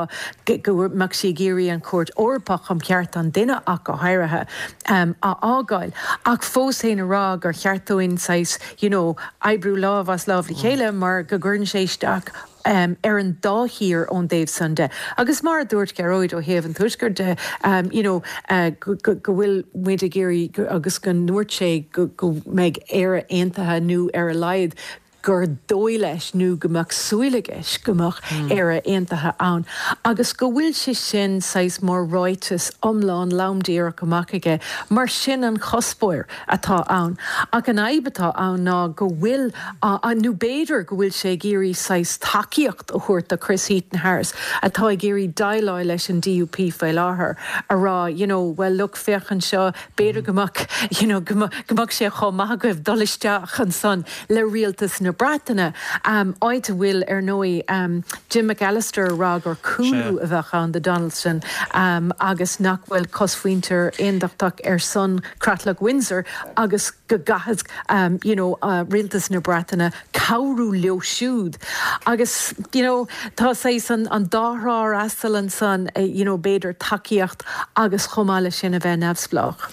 go mbeadh sí ag iarraidh an Chúirt Eorpach um Chearta an Duine ach go háirithe um, a fhágáil. Ach fós féin a rá gur cheart dúinn saghas you know oibriú lámh as lámh le chéile mar go gcuireann sé isteach um, ar an dá thír ón dtaobh san de. Agus mar a dúirt Gearóid ó thaobh an Tuaiscirt de um, you know, uh, go, go, go bhfuil muid ag iarraidh agus go ndúirt sé go, go mbeidh Éire aontaithe nó ar a laghad gur dóigh leis nó go mbeadh súil aige go mbeadh mm. Éire aontaithe ann. Agus go bhfuil sé sin saghas mar ráiteas iomlán lom díreach amach aige, mar sin an cuspóir atá ann. Ach an fhadhb atá ann ná go bhfuil nó b'fhéidir go bhfuil sé ag iarraidh saghas tacaíocht a thabhairt do Chris Heaton Harris atá ag iarraidh déileáil leis an DUP faoi láthair a rá you know, well look féach anseo b'fhéidir go mbeadh you know, go mbeadh sé chomh maith agaibh dul isteach ansan le rialtas na Breataine um, áit a bhfuil ar ndóigh um, Jim McAllister rá gur cúlú a bheadh ann do Donaldson um, agus nach bhfuil cosmhuintir aondachtach ar son Creatlach Windsor agus go gcaithfidh um, you know, uh, rialtas na Breataine cabhrú leo siúd. Agus you know, tá sé an, an dá thrá asal ansan uh, you know, b'fhéidir tacaíocht agus chomh maith leis sin a bheith neamhspleách.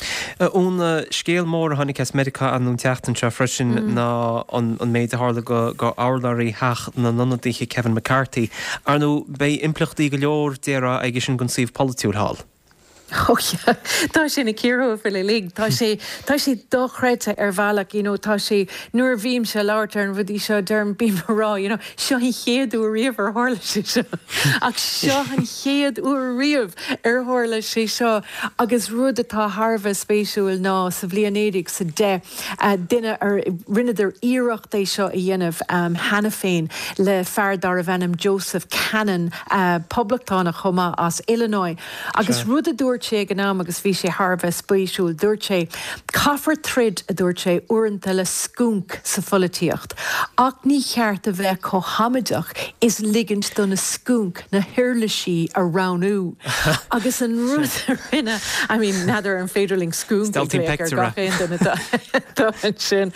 Úna scéal mór a tháinig as Meiriceá an tseachtain seo freisin mm. ná an, an méid a tharla go go urlabhraí Theach na nIonadaithe Kevin McCarthy. Ar ndóigh beidh impleachtaí go leor déarfá aige sin don suíomh polaitiúil thall. Oh yeah. Tá sé na cíortha fil lig Tá sé tá sé dochreidte ar bhealach you know, tá sé nuair a bhímse ag labhairt ar an rudaí seo deirim bím ag rá you know, seo an chéad uair riamh ar tharla sé seo ach seo an chéad uair riamh ar tharla sé seo agus rud atá thar a bheith spéisiúil ná sa bhliain naoi déag sa deich uh, duine ar rinneadar iarracht é seo a dhéanamh um, cheana féin le fear darbh ainm Joseph Cannon uh, poblachtánach chomh maith as Illinois agus rud a dúirt sé ag an am agus bhí sé thar a bheith spéisiúil dúirt sé caithfear troid a dúirt sé uaireanta le scúnc sa pholaitíocht. Ach ní cheart a bheith chomh hamaideach is ligint do na scúnc na huirlisí a roghnú. agus an rud a rinne I mean n'fheadar an féidir linn scúnc sin.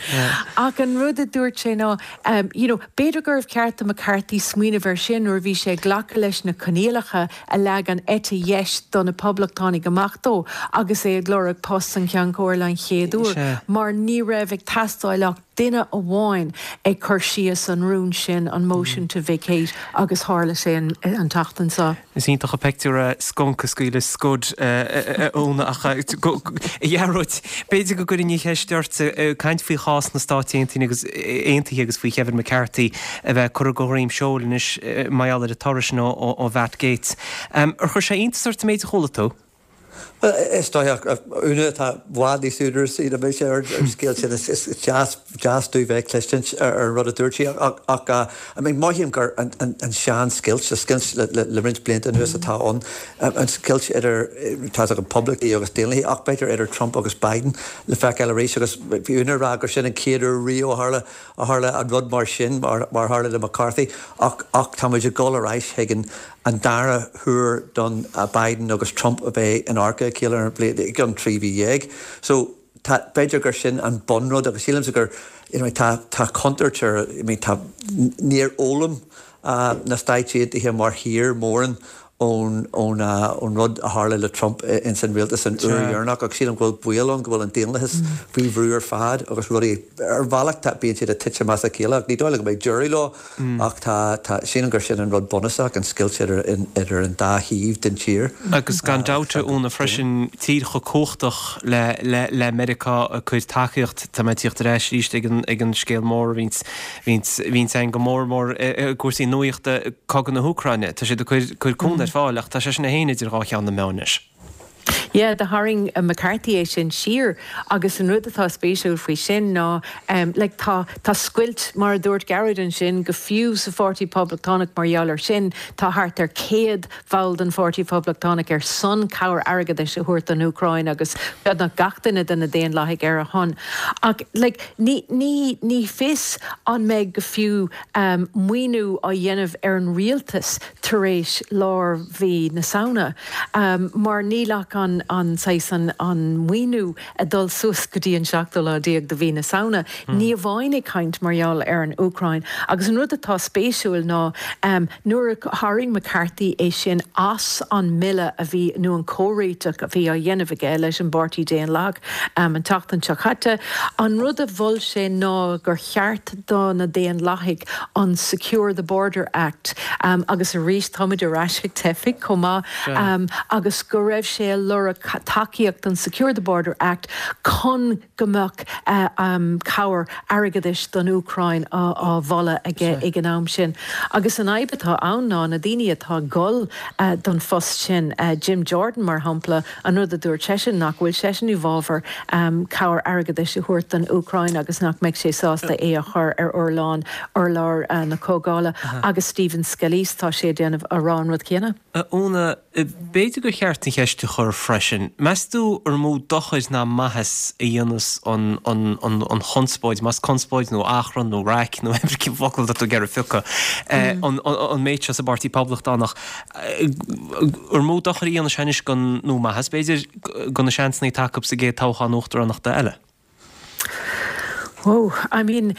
Ach an rud a dúirt sé ná um, you know, b'fhéidir gurbh cheart do McCarthy smaoineamh air sin nuair bhí sé ag glacadh leis na coinníollacha a leag an eite dheis do na poblachtánaigh amach dó agus é ag lorg post an Cheann Comhairle an chéad uair, mar ní raibh ag teastáil ach duine amháin ag cur síos an rún sin an motion to vacate agus tharla sé an, an tseachtain seo. Is iontach an pictiúr skunk a scaoileadh scud óna ach a Ghearóid b'fhéidir go gcuirfinn an cheist ort caint faoi chás na Stát Aontaithe agus Aontaithe agus faoi Kevin McCarthy a bheith curtha de dhroim seoil anois mar gheall ar an toradh sin ó Matt Gaetz. Ar chuir sé iontas ort an méid a chuala tú? Well is dóigh Úna atá i bhfad níos údarasaí ná mise ar an scéal sin is deas deas domh bheith cloistint ar an rud a dúirt sí ach ach I mean mothaím gur an an an sean-scoilt scoilt le le le roinnt blianta anuas atá ann an scoilt idir tá an poblachtaigh agus daonlathaigh ach b'fhéidir idir Trump agus Biden le feiceáil arís agus bhí Úna ag rá gur sin an chéad uair riamh a tharla a tharla an rud mar sin mar mar tharla le McCarthy ach ach tá muid ag dul ar ais chuig an an dara huair don Biden agus Trump a bheith in adharca a chéile ar an bhliain i gcionn trí mhí dhéag. So tá b'fhéidir gur sin an bunrud agus sílimse gur you know, tá tá contúirt ar I mean, tá níor fhoghlaim uh, na Stáit Aontaithe mar thír mórán ón ón ón rud a tharla le Trump ins an rialtas an uair dheireanach agus sílim go bhfuil baol ann go bhfuil an daonlathas faoi bhrú ar fad agus rudaí ar bhealach tá bíonn siad ag titim as a chéile ach ní dóigh liom go mbeidh deireadh leo ach tá tá sílim gur sin an rud bunúsach an scoilt idir idir an dá thaobh den tír. Agus gan dabht a Úna freisin tír chomh cumhachtach le le le Meiriceá ag cur tacaíocht tá mé ag tíocht ar ais arís ag an ag an scéal mór a bhíonns bhíonns bhíonns ann go mór mór i gcúrsaí nuachta cogadh na hÚcráine. Tá siad ag cur cur cúnamh ar fáil ach tá sé sin é féin idir dhá cheann na meá anois. Yeah, do tharraing McCarthy é sin siar agus an rud atá spéisiúil faoi sin ná um, like, tá, tá scoilt mar a dúirt Gearóid ansin go fiú sa Pháirtí Poblachtánach mar gheall air sin tá thart ar céad ball den Pháirtí Poblachtánach ar son cabhair airgeadais a thabhairt don Úcráin agus beagnach gach duine de na Daonlathaigh ar a shon. Ach like, ní, ní, ní fios an mbeidh go fiú um, maoiniú á dhéanamh ar an rialtas tar éis lár mhí na Samhna um, mar níl ach an, an saghas an, an maoiniú ag dul suas go dtí an seachtú lá déag de mhí na Samhna. Mm. Ní amháin ag caint mar gheall ar an Úcráin. Agus an rud atá spéisiúil ná um, nuair a tharraing McCarthy é sin as an mbille a bhí nó an comhréiteach a bhí á dhéanamh aige leis an bPáirtí Daonlathach um, an tseachtain seo caite, an rud a mhol sé ná gur cheart do na Daonlathaigh an Secure the Border Act um, agus arís táimid ar ais ag teifigh chomh maith um, agus go raibh sé ag lorg tacaíocht an Secure the Border Act chun go mbeadh uh, um, cabhair airgeadais don Úcráin á, á mholadh aige ag an am sin. Agus an fhadhb atá ann ná na daoine atá ag dul uh, don phost sin uh, Jim Jordan mar shampla an rud a dúirt seisean nach bhfuil seisean i bhfabhar um, cabhair airgeadais a thabhairt don Úcráin agus nach mbeidh sé sásta é a chur ar urlár urlár uh, na comhdhála agus Stephen Scalise tá sé déanamh a rá an rud céanna. Úna b'fhéidir gur cheart an cheist a chur freisin. Meas tú ar mó dochar ná maitheas a dhéanfas an, an, an, an chonspóid, más conspóid nó achrann nó raic nó cibé focal atá tú ag iarraidh a phiocadh an, an, an méid seo sa bPáirtí Poblachtánach ar mó dochar a dhéanfas anois gan nó maitheas b'fhéidir do na seansanna atá acu sa gcéad toghchán uachtaránachta eile. Oh, I mean,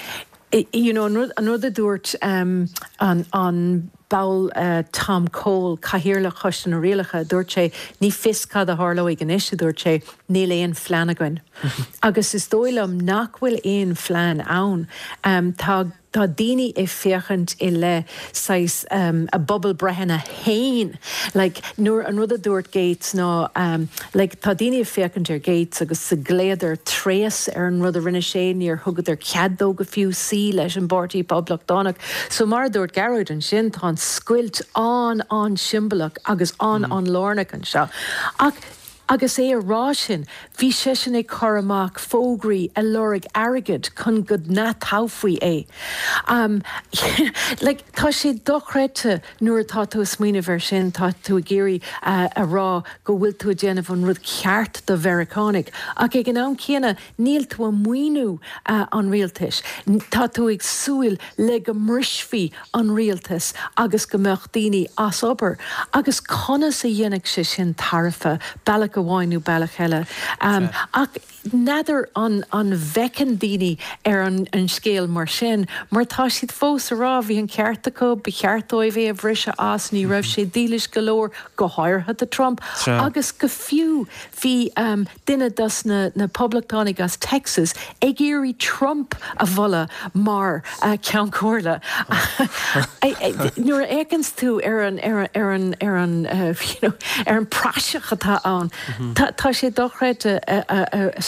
you know, an rud, an rud a dúirt um, an, an ball uh, Tom Cole cathaoirleach Choiste na Rialacha dúirt sé ní fios cad a tharlóidh anois a dúirt sé níl aon phlean againn. Agus is dóigh liom nach bhfuil aon phlean ann. Um, tá Tá daoine ag féachaint i leith saghas um, a bpobalbhreitheanna féin. Like, nuair an rud a dúirt Gates ná um, like, tá daoine ag féachaint ar Gates agus sa glaodar tréas ar an rud a rinne sé níor thugadar cead dó go fiú suí leis an bPáirtí Poblachtánach. So mar a dúirt Gearóid ansin tá an scoilt an an-siombalach agus an mm. an-lárnach anseo. Ach agus é a rá sin, bhí seisean ag cur amach fógraí ag lorg airgead chun go n-atoghfaí é. Um, like, tá sé dochreidte nuair atá tú ag smaoineamh air sin tá tú ag iarraidh uh, a rá go bhfuil tú ag déanamh an rud ceart do Mheiriceánaigh. Ach ag an am céanna níl tú ag maoiniú uh, an rialtais. Tá tú ag súil le go mbrisfí an rialtas agus go mbeadh daoine as obair. Agus conas a dhéanfaidh sé sin tairbhe bealach amháin nó bealach eile. Um, ach n'fheadar an an bhféachann daoine ar an, an scéal mar sin, mar tá siad fós ag rá bhí an ceart acu ba cheart dóibh é a bhriseadh as ní raibh sé dílis go leor go háirithe do Trump. Agus go fiú bhí um, duine dos na, na poblachtánaigh as Texas ag iarraidh Trump a mholadh mar uh, Ceann Comhairle. Nuair a fhéachann tú ar an ar ar an ar an uh, you know, ar an praiseach atá ann. Tá tá sé dochreidte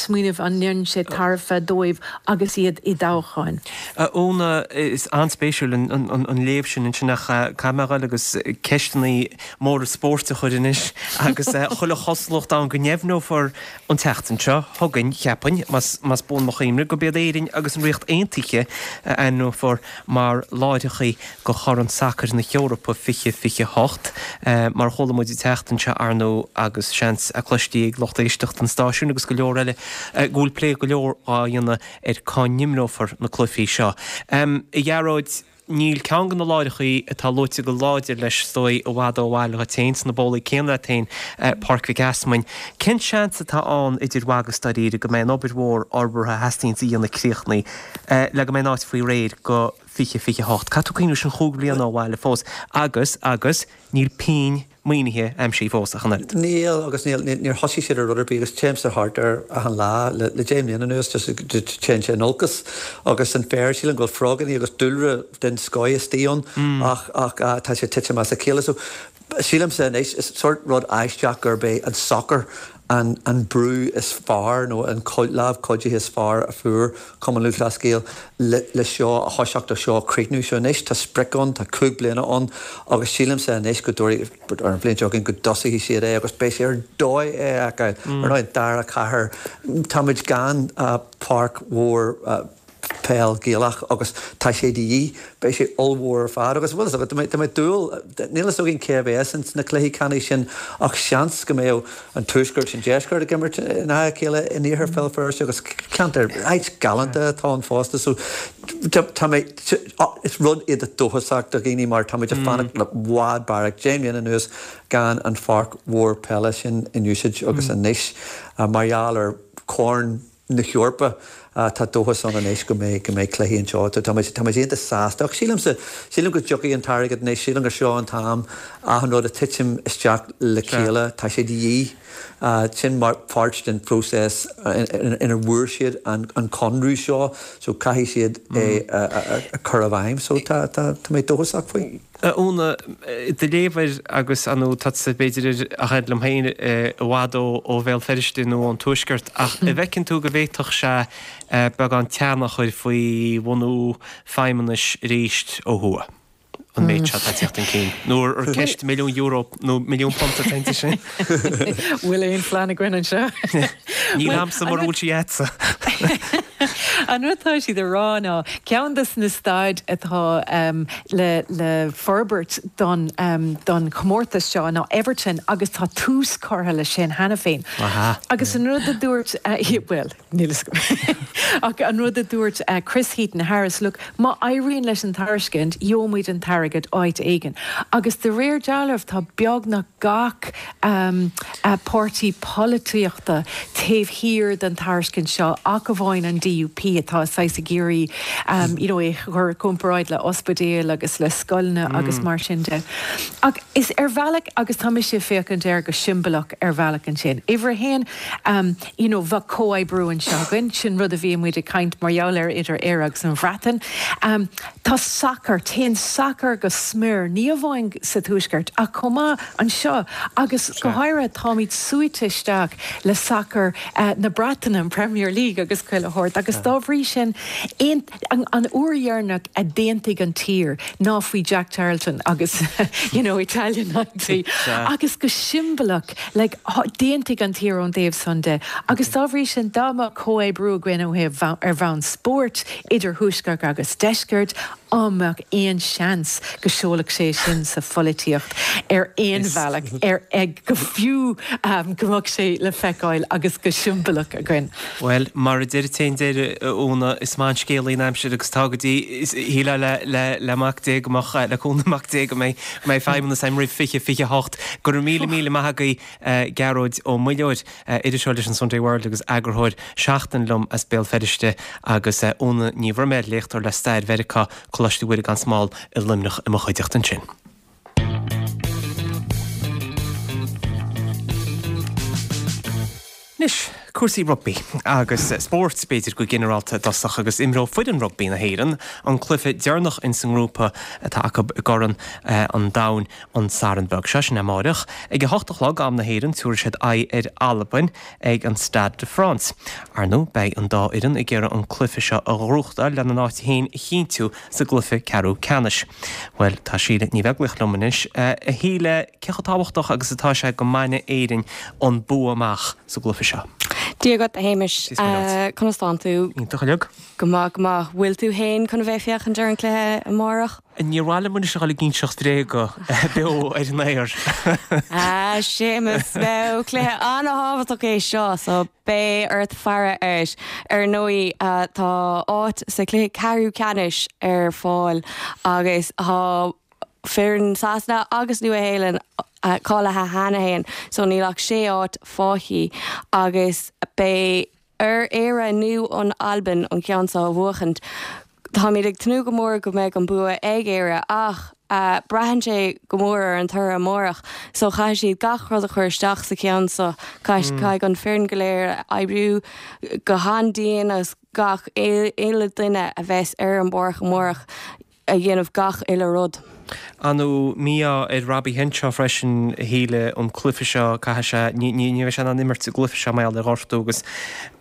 smaoineamh an ndéanann sé tairbhe dóibh agus iad i dtoghchán. Úna is an-spéisiúil an léamh sin ansin ach caithfidh mé a ghoil agus ceisteanna móra spóirt a chur anois agus chuile chosúlacht ann go ndeimhneofar an tseachtain seo chugainn cheapfainn más buan mo chuimhne gurb iad Éirinn agus an Ríocht Aontaithe a ainmneofar mar láithreacha do Chorn Sacair na hEorpa fiche fiche hocht. Mar a chuala muid an tseachtain seo ar ndóigh agus seans a cloistí ag lucht éisteachta an stáisiúin agus go leor eile go bhfuil plé go leor á dhéanamh ar cá n-imreofar na cluichí seo. A Ghearóid, níl ceann de na láithreacha atá luaite go láidir leis is dóigh i bhfad ó bhaile dhuit féin sna bólaí céanna leat féin, Páirc Mhic Easmainn. Cén seans atá ann idir mhaith agus dáiríre go mbeidh an obair mhór fhorbartha a theastaíonns a dhéanamh críochnaithe le go mbeidh an áit faoi réir go fiche fiche hocht? Caithfidh tú cuimhneamh sin chúig bliana ó bhaile fós agus, agus, níl pingin maoinithe aimsithe fós ach an oiread. Níl agus níl níor thosaigh siad ar rud ar bith agus téimse thart ar achan lá le le deich mbliana anuas just téann sé in olcas agus an féar sílim go bhfuil frogannaí agus dúlra den scoith istigh ann ach ach tá sé titim as a chéile so sílimse anois is sort rud aisteach gurb é an sacar an an brú is fearr nó an lámh chuidithe is fearr a fuair Cumann Lúthchleas Gael le le seo a thoiseacht ó seo a chríochnú. So anois tá sprioc ann, tá cúig bliana ann agus sílimse anois go dtabharfaidh ar an bhliain seo chugainn go dtosóidh siad é agus beidh sé ar dóigh é a fheiceáil. Ar ndóigh an dara cathair, táimid gan páirc mhór peil Gaelach agus tá sé de dhíth, beidh sé ollmhór ar fad agus bhfuil fhios agat, tá mé ag dúil, níl fhios againn cé a bheas ins na cluichí ceannais sin ach seans go mbeadh an Tuaisceart is an Deisceart ag imirt in aghaidh a chéile in Iarthar Bhéal Feirste agus ceantar, áit galánta atá ann fosta so tá mé, is rud iontach dóchasach do dhaoine mar tá muid ag fanacht le i bhfad beairic, deich mbliana anuas gan an pháirc mhór peile sin in úsáid agus anois mar gheall ar Chorn na hEorpa. Tá dóchas ann anois go mbeidh go mbeidh cluichí anseo. Tá muid tá muid iontach sásta. Ach sílimse, sílim go dtiocfaidh an t-airgead anois, sílim gur seo an t-am achan rud ag titim isteach le chéile. Tá sé de dhíth. Sin mar pháirt den phróiseas ina bhfuair siad an an conradh seo so caithfidh siad é a chur i bhfeidhm. So tá tá tá mé dóchasach faoi. A Úna, do léamh air agus ar ndóigh tusa b'fhéidir a fhad liom féin i bhfad ó Bhéal Feirste nó ón Tuaisceart ach an bhfeiceann tú go bhféadfadh sé beagán teannas a chur faoi bhunú feidhmeannais arís ó thuaidh, an méid seo atá ag teacht chun cinn? Nó ar ceist milliún euro nó milliún punt atá inti sin? Bhfuil aon phlean againn anseo? Níl a'msa mura bhfuil sí a'dsa. An rud atá siad a rá ná ceann de na staid atá le le forbairt don don chomórtas seo ná Everton agus tá tús curtha leis sin cheana féin. Agus an rud a dúirt, bhuel, níl a fhios agam, ach an rud a dúirt Chris Heaton Harris, look, má éiríonn leis an tairiscint, gheobhaimid an t-airgead áit éigin. Agus de réir dealraimh tá beagnach gach páirtí polaitíochta taobh thiar den tairiscint seo ach amháin an D U P atá saghas ag iarraidh you know é a chur i gcomparáid le ospidéil agus le scoileanna agus mar sin de. Ach is ar bhealach, agus tá mise ag féachaint air go siombalach ar bhealach ansin, uimhir a haon, you know bheadh comhoibriú anseo againn, sin rud a bhí muid ag caint mar gheall air idir Éire agus an Bhreatain. Tá sacar, téann sacar go smior, ní amháin sa Tuaisceart ach chomh maith anseo agus go háirithe táimid suaite isteach le sacar na Breataine, an Premier League agus chuile shórt agus dá bhrí sin an uair dheireanach a d'aontaigh an tír ná faoi Jack Charlton agus you know Italia ninety agus go siombalach like d'aontaigh an tír ón dtaobh san de agus dá bhrí sin dá mbeadh comhoibriú againn ó thaobh ar bhonn spóirt idir Thuaisceart agus Deisceart an mbeadh aon seans go seolfadh sé sin sa pholaitíocht ar aon bhealach ar ag go fiú go mbeadh sé le feiceáil agus go siombalach againn. Bhuel, mar a deir an deireadh, a Úna, is maith an scéalaí an aimsir agus tá go dtí, shílfeá le, le, le Mac Dé go mbeadh, le cúnamh Mac Dé go mbeidh, go mbeidh feidhmeannas a'm roimh fiche, fiche hocht. Go raibh míle, míle maith agaibh, Gearóid Ó Muilleoir, iriseoir leis an Sunday World agus eagarthóir Seachtain liom as Béal Feirste agus Úna Ní Bhroiméil, léachtóir le Stair Mheiriceá, Coláiste Mhuire gan Smál i Luimneach i mo chuideachta ansin. Anois, cúrsaí rugbaí agus spóirt, b'fhéidir, go ginearálta i dtosach agus imreoidh foireann rugbaí na hÉireann an cluiche deireanach ins an ngrúpa atá acu i gCorn an Domhain an Satharn beag seo, sin amáireach. Ag a hocht a chlog, am na hÉireann, tabharfaidh siad aghaidh ar Albain ag an Stade de France. Ar ndóigh, beidh an dá fhoireann ag iarraidh an cluiche seo a ghnóthachtáil lena n-áit féin a chinntiú sa gcluiche ceathrú ceannais. Bhuel, tá Síle Ní Bheaglaoich liom anois. A Shíle, cé chomh tábhachtach agus atá sé go mbainfidh Éirinn an bua amach sa gcluiche seo? Dia dhuit, a Shéamais. Conas tánn tú? Iontach uilig. Go maith, go maith. Bhfuil tú fhéin chun a bheith ag féachaint ar an cluiche amárach? Níor mhaith liom anois a dhul ag inseacht bréaga beo ar an aer. A Shéamais, bhuel, cluiche an-thábhachtach é seo, so beidh ort faire air. Ar ndóigh, tá áit sa chluiche ceathrú ceannais ar fáil agus tá foireann Sasana agus Nua-Shéalainn cáilithe cheana fhéin, so níl ach sé áit fágtha agus beidh ar Éire nó an Albain an ceann seo a bhuachaint. Táimid ag tnúth go mór go mbeidh an bua ag Éire ach Braitheann sé go mór ar an toradh amárach so caithfidh siad gach rud a chur isteach sa cheann so caithfidh an foireann go léir oibriú go han-dian agus gach uile duine a bheas ar an bpáirc amárach a dhéanamh gach uile rud. Ar ndóigh mí-ádh ar Robbie Henshaw freisin a Shíle an cluiche seo caithfidh sé ní ní bheidh sé in ann imirt sa gcluiche seo mar gheall ar ghortú agus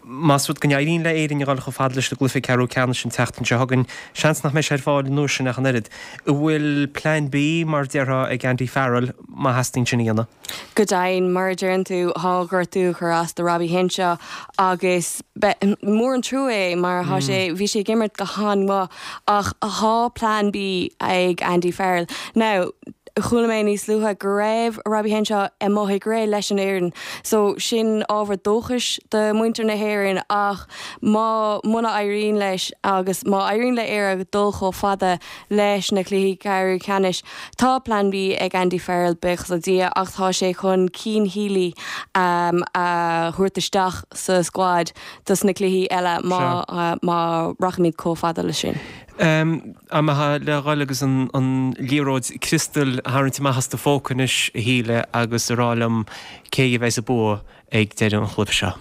más rud go n-éiríonn le Éirinn a dhul chomh fada leis an gcluiche ceathrú ceannais an tseachtain seo chugainn, seans nach mbeidh sé ar fáil an uair sin ach an oiread. An bhfuil Plan B mar a déarfá ag Andy Farrell má theastaíonn sin a dhéanamh? Go deimhin, mar a deireann tú, tá gortú ag cur as do Robbie Henshaw agus mór an trua é mar thá sé, bhí sé ag imirt go han-mhaith ach thá Plan B ag Andy Farrell. Now, chuala mé níos luaithe go raibh Robbie Henshaw amuigh ag rith leis an fhoireann so sin ábhar dóchais do mhuintir na hÉireann ach má muna éiríonn leis agus má éiríonn le Éire dul chomh fada leis na cluichí ceathrú ceannais tá Plan B ag Andy Farrell buíochas le Dia ach tá sé chun Cian Healy um, a thabhairt isteach sa squad dos na cluichí eile má uh, má rachaimid chomh fada leis sin. Um, Am atá le dhul agus an, an liathróid criostail a tharraingt amach as do phóca anois a Shíle agus a rá liom cé a bheas ag bua ag deireadh an chluiche seo.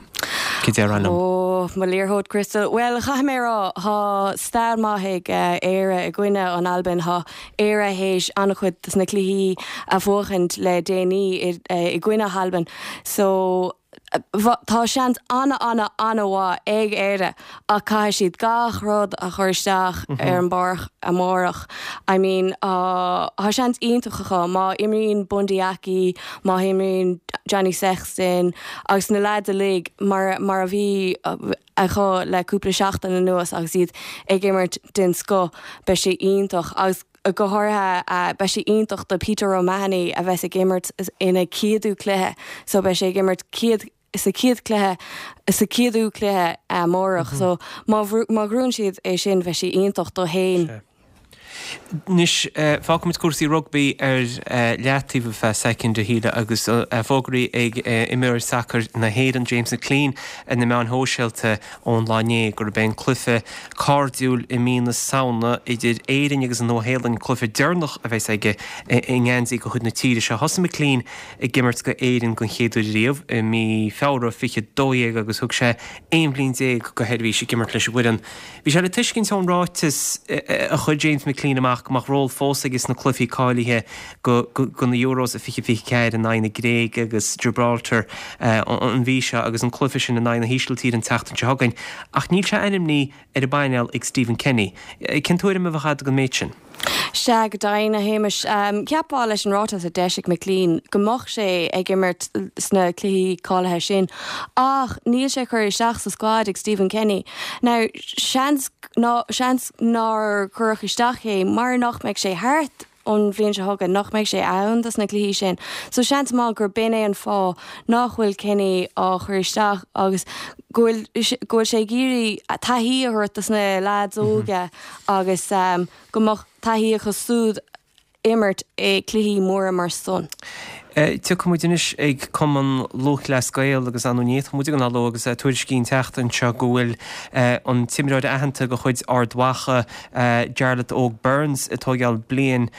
Cé déarfá liom? Ó mo liathróid criostail. Well chaithfidh mé rá thá stair maith ag uh, Éire i gcoinne an Albain thá Éire théis an-chuid dos na cluichí a bhuachaint le déanaí i, uh, i gcoinne Albain. So Tá seans ana ana ana-mhaith ag Éire ach caithfidh siad gach rud a chur isteach ar an bpáirc amárach. I mean uh, tá seans iontach acu má imríonn Bundee Aki, má imríonn Johnny Sexton agus na lads uilig mar, mar a bhí acu le cúpla seachtain anuas agus iad ag imirt den scoth beidh sé iontach agus go háirithe uh, beidh sé iontach do Peter O'Mahony a bheas ag imirt ina chéadú cluiche, so beidh sé ag imirt céad sa chéad cluiche sa chéadú cluiche amárach, mm -hmm. so má má ghnóthaíonn siad é sin bheidh sé iontach dó féin. Anois fágfaimid cúrsaí rugbaí ar leataobh ar feadh soicind a Shíle agus fógraithe ag imreoir sacair na hÉireann James McClean ar na meáin shóisialta ón lá inné gurb é an cluiche cairdiúil i mí na Samhna idir Éirinn agus an Nua-Shéalainn cluiche deireanach a bheas aige i ngeansaí de chuid na tíre seo. Thosaigh McClean ag imirt do Éirinn den chéad uair riamh i mí Feabhra fiche dó dhéag agus thug sé aon bhliain déag de sheirbhís ag imirt leis an bhfoireann. Bhí sé le tuiscint ón ráiteas a chuir James McClean amach go mbeadh ról fós aige sna cluichí cáilithe go go na Euros a fiche fiche ceathair in aghaidh na Gréige agus Gibraltar an mhí seo agus an cluiche sin in aghaidh na hÍsiltíre an tseachtain seo chugainn. Ach níl sé ainmnithe ar an bpainéal ag Stephen Kenny. Cén tuairim a bheadh agat den méid sin? Sea go deimhin a Shéamais cheapfá leis an ráiteas a d'eisigh McClean go mbeadh sé ag imirt sna cluichí cáilithe sin ach níl sé curtha isteach sa squad ag Stephen Kenny. Now seans ná seans nár cuireadh isteach é mar nach mbeidh sé thart an bhliain seo chugainn nach mbeidh sé ann dos na cluichí sin. So seans maith gur b'in é an fáth nach bhfuil Kenny á chur isteach agus go bhfuil go bhfuil sé ag iarraidh taithí a thabhairt dos na lads óga agus um, go mbeadh taithí acu siúd imirt i cluichí móra mar san. Tiocfaimid anois ag Cumann Lúthchleas Gael agus an ní muid an aló agus tuairiscí an tseachtain seo go bhfuil an t-imreoir aitheanta de chuid Ard Mhacha Jarlath Óg Burns ag tógáil bliain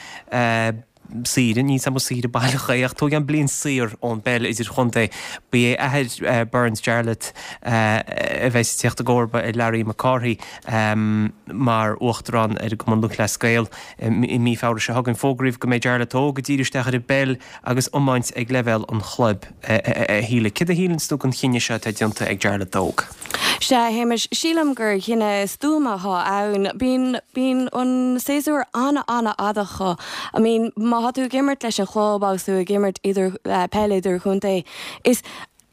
saoire ní sam saoire baileach ach tógann bliain saor ón bpeil idirchontae. Ba é athair Burns Jarlath a bheas ag teacht i gcomharba ar Larry McCarthy mar uachtarán ar an gCumann Lúthchleas Gael i mí Feabhra seo chugainn. Fógraíodh go mbeidh Jarlath Óg ag díriú isteach ar an bpeil agus iomáint ag leibhéal an chlub a Shíle. Céard a shíleann tú den chinneadh seo atá déanta ag Jarlath Óg? Sea Shéamais sílim gur chinneadh stuama atá ann. Bíonn bíonn an séasúr ana ana fhada acu. I mean má tá tú ag imirt leis an chlub agus tú ag imirt idir uh, peil idirchontae is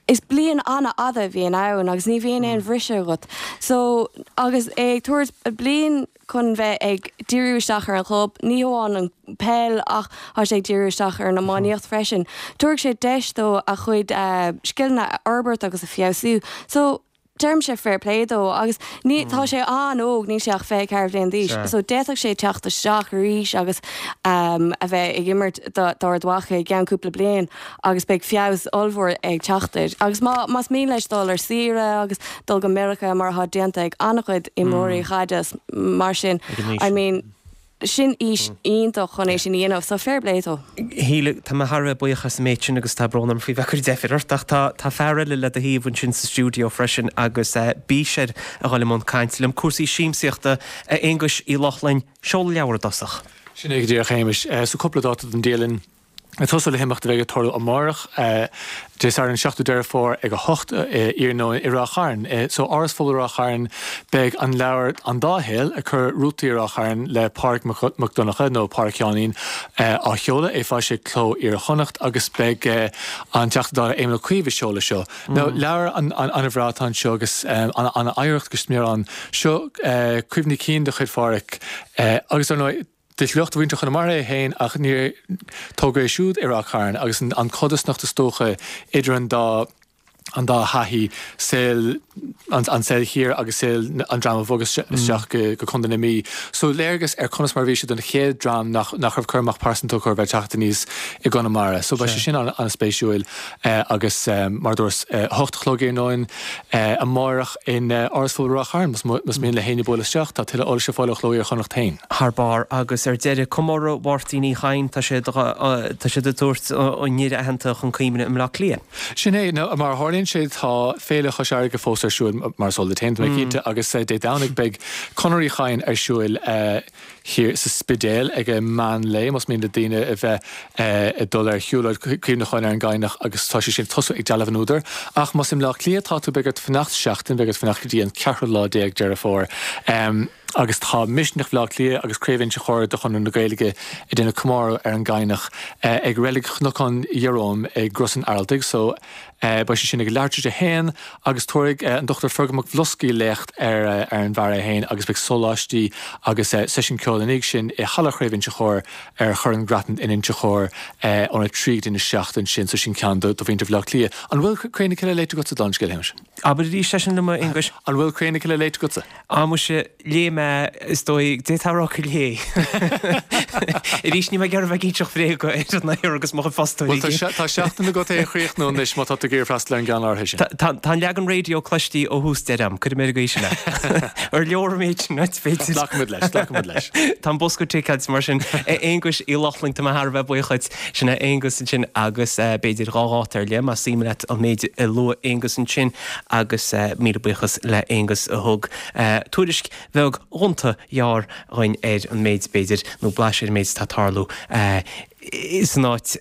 is bliain ana fhada a bhíonn ann agus ní bhíonn aon bhriseadh agat. So agus é ag tabhairt bliain chun bheith ag díriú isteach ar an chlub, ní hamháin an peil ach tá sé ag díriú isteach ar an iománaíocht freisin. Tabharfaidh sé deis dó a chuid uh, scileanna a fhorbairt agus a fheabhsú. So deirimse fair play dó agus ní tá sé an-óg níl sé ach fiche ceathair bliain d'aois, so d'fhéadfadh sé teacht isteach arís agus um, a bheith ag imirt d'Ard Mhacha i gceann cúpla bliain agus beidh feabhas ollmhór ag teacht air. Agus má más mian leis dul ar saoire agus dul go Meiriceá mar atá déanta ag an-chuid imreoirí caide mar sin I mean sin aois iontach chun é sin a dhéanamh, so fair play dó. Shíle, tá mé thar a bheith buíoch as an méid sin agus tá brón orm faoi bheith ag cur deifir ort ach tá tá fear eile le do thaobh ansin sa stiúideo freisin agus bís air a dhul i mbun cainte liom. Cúrsaí siamsaíochta, a Aonghuis Uí Lochlainn, seol leabhar i dtosach. Sin é go díreach, a Shéamais. So cúpla dáta don dialann. Ag tosú le himeacht a bheidh ag tarlú amárach, Dé Sathairn seachtú Deireadh Fómhair ag a hocht iarnóin i Ráth Chairn. So Áras Phobail Ráth Chairn beidh an leabhar An Dá Shaol, ag cur rútaí ar Ráth Chairn le Pádraig Mac Donncha nó Pádraic Sheáinín á sheoladh, é foilsithe ag Cló Iar-Chonnacht agus beidh an Teachta Dála Éamon Ó Cuív ag seoladh seo. Now leabhar an-bhreá atá anseo agus an-oidhreacht go smior ann. Seo cuimhní cinn de chuid Phádraic agus ar ndóigh, De shliocht mhuintir Chonamara é féin ach níor tógadh é siúd i Ráth Chairn agus an chodarsnacht is dócha idir an dá an dá thaithí, saol an saol thiar agus saol an dream a bhog isteach go Contae na Mí. So léargas ar conas mar a bhí sé don chéad dream nach nach raibh cur amach pearsanta acu ar bheith ag teacht aníos i gConamara. So beidh sé sin an-spéisiúil agus mar a dúras, a hocht a chlog iarnóin amárach in Áras Phobail Ráth Chairn más mian le héinne bualadh isteach. Tá tuilleadh eolais ar fáil ó Chló Iar-Chonnacht féin. Thar barr agus ar deireadh, comóradh Mháirtín Uí Chadhain, tá siad tá siad ag tabhairt an fhir aitheanta chun cuimhne i mBleá Cliath. Sin é, nó mar a tharlaíonn sé tá Féile Chois Fharraige fós ar siúl, mar is eol duit féin, tá mé cinnte, agus Dé Domhnaigh beidh Conair Uí Chadhain ar siúl thiar sa Spidéal ag meán lae, más mian le daoine a bheith ag dul ar shiúlóid cuimhneacháin ar an gCadhnach agus tá sé sin ag tosú ag Dealbh an Údair. Ach más i mBleá Cliath atá tú, beidh ort fanacht seachtain, beidh ort fanacht go dtí an ceathrú lá déag Deireadh Fómhair. Agus tá Misneach Bhaile Átha Cliath agus Craobh Inse Chór de Chonradh na Gaeilge ag déanamh comóradh ar an gCadhnach ag Reilig Chnocán Iaróm i gCros an Araltaigh so beidh sé sin ag leathuair tar éis a haon agus tabharfaidh an Dochtúir Fergal Mac Bhloscaidh léacht ar ar an bhfear é féin agus beidh sóláistí agus seisiún ceoil ina dhiaidh sin i Halla Chraobh Inse Chór ar Chorr an Grattan in Inse Chór óna trí go dtí a seacht ansin so sin ceann do mhuintir Bhaile Átha Cliath. An bhfuil Cré na Cille léite agatsa dála an scéil, a Shéamais? Abair arís é sin liom, a Aonghuis. An bhfuil Cré na Cille léite agatsa? Á, muise, léigh mé, is dóigh, d'fhéadfá a rá gur léigh. Arís, níl mé ag iarraidh a bheith ag inseacht bréaga ar an aer agus mo chuid fostóirí. Bhuel, tá seachtain agat é a chríochnú anois má tá tú ag iarraidh freastal ar an gceann áirithe sin. Tá an leagan raidió cloiste ó thús deireadh agam, cuirfidh mé ar an gcaoi sin é. Ar leor an méid sin, b'fhéidir? Glacfaimid leis, glacfaimid leis. Tá an bosca ticeáilte mar sin. A Aonghuis Uí Lochlainn, tá mé thar a bheith buíoch dhuit. Sin é Aonghus ansin agus b'fhéidir dhá dháta ar leith más suim leat an méid a luaigh Aonghus ansin agus míle buíochas le Aonghus a thug tuairisc bheag ghonta ghearr dhuinn ar an méid b'fhéidir nó blaiseadh ar an méid atá ag tarlú san áit,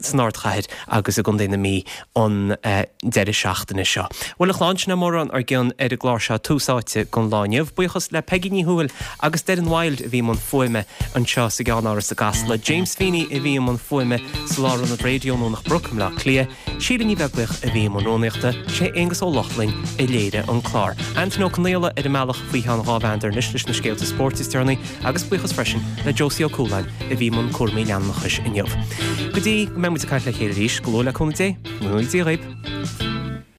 san ardchathair agus i gContae na Mí an deireadh seachtaine seo. Bhuel a chlann, sin é mórán ár gcionn ar an gclár seo Tús Áite don lá inniu. Buíochas le Peigí Ní Thuathail agus Doireann Wilde a bhí i mbun fuaime anseo sa gceannáras i gCasla, James Feeney a bhí i mbun fuaime sa Lárionad Raidió i nDomhnach Broc i mBleá Cliath, Síle Ní Bheaglaoich a bhí i mbun rúnaíochta, sé Aonghus Ó Lochlainn a léirigh an clár. Antain Ó Conaola ar an mbealach faoi cheann dhá mheandar anois leis na scéalta spóirt is deireanaí agus buíochas freisin le Josie Ó Cualáin a bhí i mbun cúraimí leanúnachais inniu. Go dtí go mbeidh muid ag caint le chéile arís, go luath le cúnamh Dé, go ngnóthaí Dia dhaoib!